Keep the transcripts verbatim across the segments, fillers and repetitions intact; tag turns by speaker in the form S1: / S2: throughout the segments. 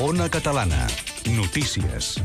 S1: Ona Catalana. Notícies.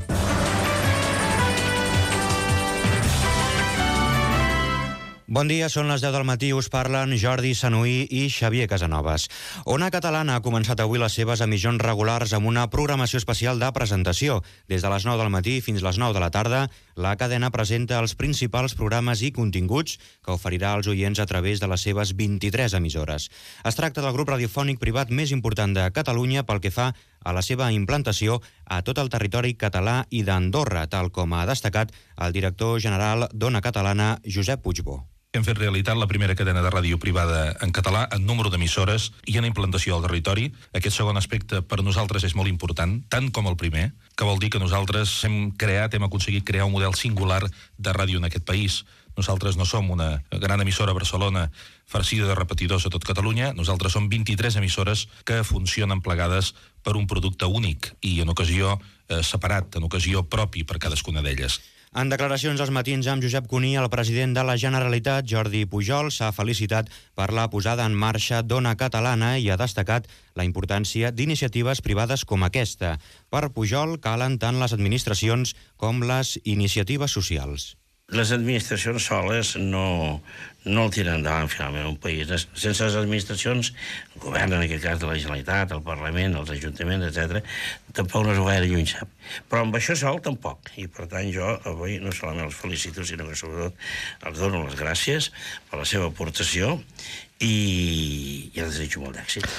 S2: Bon dia, són les deu del matí, us parlen Jordi Sanuí i Xavier Casanovas. Ona Catalana ha començat avui les seves emissions regulars amb una programació especial de presentació. Des de les nou del matí fins les nou de la tarda, la cadena presenta els principals programes i continguts que oferirà als oients a través de les seves vint-i-tres emissores. Es tracta del grup radiofònic privat més important de Catalunya pel que fa a la seva implantació a tot el territori català i d'Andorra, tal com ha destacat el director general d'Ona Catalana, Josep Puigbó.
S3: Hem fet realitat la primera cadena de ràdio privada en català en número d'emissores i en implantació al territori. Aquest segon aspecte per nosaltres és molt important, tant com el primer, que vol dir que nosaltres hem creat, hem aconseguit crear un model singular de ràdio en aquest país. Nosaltres no som una gran emissora a Barcelona farcida de repetidors a tot Catalunya, nosaltres som vint-i-tres emissores que funcionen plegades per un producte únic i en ocasió eh, separat, en ocasió propi per cadascuna d'elles.
S2: En declaracions als matins amb Josep Cuní, el president de la Generalitat, Jordi Pujol, s'ha felicitat per la posada en marxa d'Ona Catalana i ha destacat la importància d'iniciatives privades com aquesta. Per Pujol calen tant les administracions com les iniciatives socials.
S4: Les administracions soles no, no el tiren endavant finalment un país. Sense les administracions, el govern, en aquest cas de la Generalitat, el Parlament, els ajuntaments, etcètera, tampoc no és gaire lluny, sap. Però amb això sol tampoc. I per tant jo avui no solament els felicito, sinó que sobretot els dono les gràcies per la seva aportació i, i els desitjo molt d'èxit.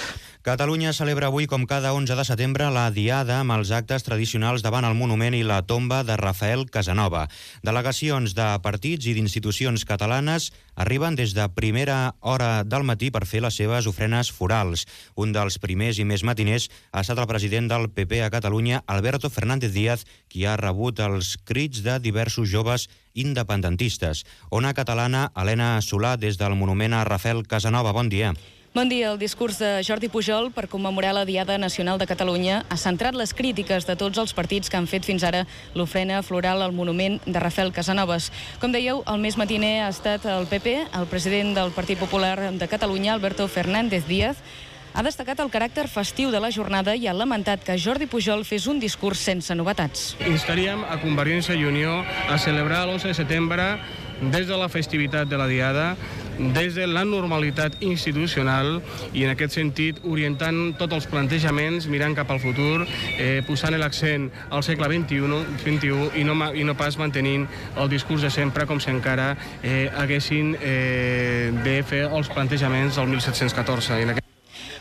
S2: Catalunya celebra avui, com cada onze de setembre, la Diada amb els actes tradicionals davant el monument i la tomba de Rafael Casanova. Delegacions de partits i d'institucions catalanes arriben des de primera hora del matí per fer les seves ofrenes florals. Un dels primers i més matiners ha estat el president del P P a Catalunya, Alberto Fernández Díaz, qui ha rebut els crits de diversos joves independentistes. Ona Catalana, Helena Solà, des del monument a Rafael Casanova. Bon dia.
S5: Bon dia. El discurs de Jordi Pujol per commemorar la Diada Nacional de Catalunya ha centrat les crítiques de tots els partits que han fet fins ara l'ofrena floral al monument de Rafael Casanovas. Com dèieu, el més matiner ha estat el P P. El president del Partit Popular de Catalunya, Alberto Fernández Díaz, ha destacat el caràcter festiu de la jornada i ha lamentat que Jordi Pujol fes un discurs sense novetats.
S6: Instaríem a Convergència i Unió a celebrar l'onze de setembre des de la festivitat de la Diada, des de la normalitat institucional i en aquest sentit orientant tots els plantejaments, mirant cap al futur, eh, posant l'accent al segle vint-i-u, vint-i-u i, no, i no pas mantenint el discurs de sempre com si encara eh, haguessin eh, de fer els plantejaments del mil set-cents catorze. En aquest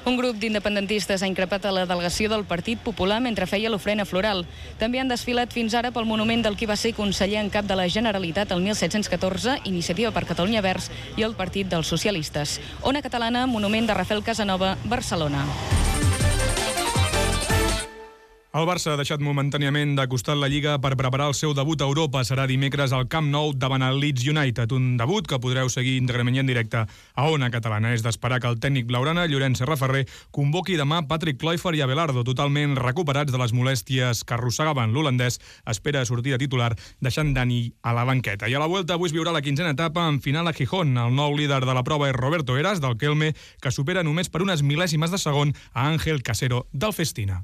S5: Un grup d'independentistes ha increpat a la delegació del Partit Popular mentre feia l'ofrena floral. També han desfilat fins ara pel monument del qui va ser conseller en cap de la Generalitat el mil set-cents catorze, Iniciativa per Catalunya Verds i el Partit dels Socialistes. Ona Catalana, monument de Rafael Casanova, Barcelona.
S7: El Barça ha deixat momentàniament de costat la Lliga per preparar el seu debut a Europa. Serà dimecres al Camp Nou davant el Leeds United, un debut que podreu seguir íntegrament i en directe a Ona Catalana. És d'esperar que el tècnic blaugrana, Llorenç Serraferrer, convoqui demà Patrick Kluivert i Abelardo, totalment recuperats de les molèsties que arrossegaven. L'holandès espera sortir de titular, deixant Dani a la banqueta. I a la Vuelta avui es viurà la quinzena etapa en final a Gijón. El nou líder de la prova és Roberto Heras, del Kelme, que supera només per unes mil·lèsimes de segon a Ángel Casero, del Festina.